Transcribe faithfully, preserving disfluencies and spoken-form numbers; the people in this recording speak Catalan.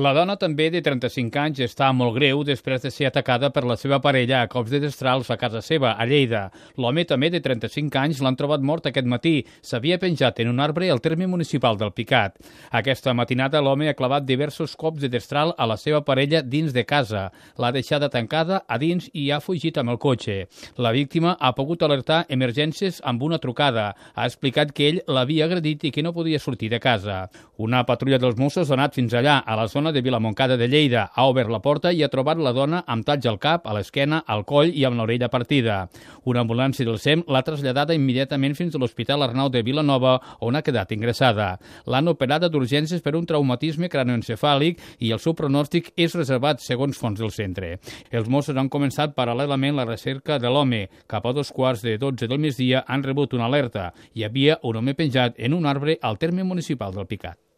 La dona, també de trenta-cinc anys, està molt greu després de ser atacada per la seva parella a cops de destrals a casa seva, a Lleida. L'home, també de trenta-cinc anys, l'han trobat mort aquest matí. S'havia penjat en un arbre al terme municipal del Picat. Aquesta matinada, l'home ha clavat diversos cops de destral a la seva parella dins de casa. L'ha deixada tancada a dins i ha fugit amb el cotxe. La víctima ha pogut alertar emergències amb una trucada. Ha explicat que ell l'havia agredit i que no podia sortir de casa. Una patrulla dels Mossos ha anat fins allà, a la zona de Vilamoncada de Lleida, ha obert la porta i ha trobat la dona amb talls al cap, a l'esquena, al coll i amb l'orella partida. Una ambulància del S E M l'ha traslladada immediatament fins a l'Hospital Arnau de Vilanova, on ha quedat ingressada. L'han operada d'urgències per un traumatisme cranioencefàlic i el seu pronòstic és reservat, segons fonts del centre. Els Mossos han començat paral·lelament la recerca de l'home. Cap a dos quarts de dotze del migdia han rebut una alerta. Hi havia un home penjat en un arbre al terme municipal del Picat.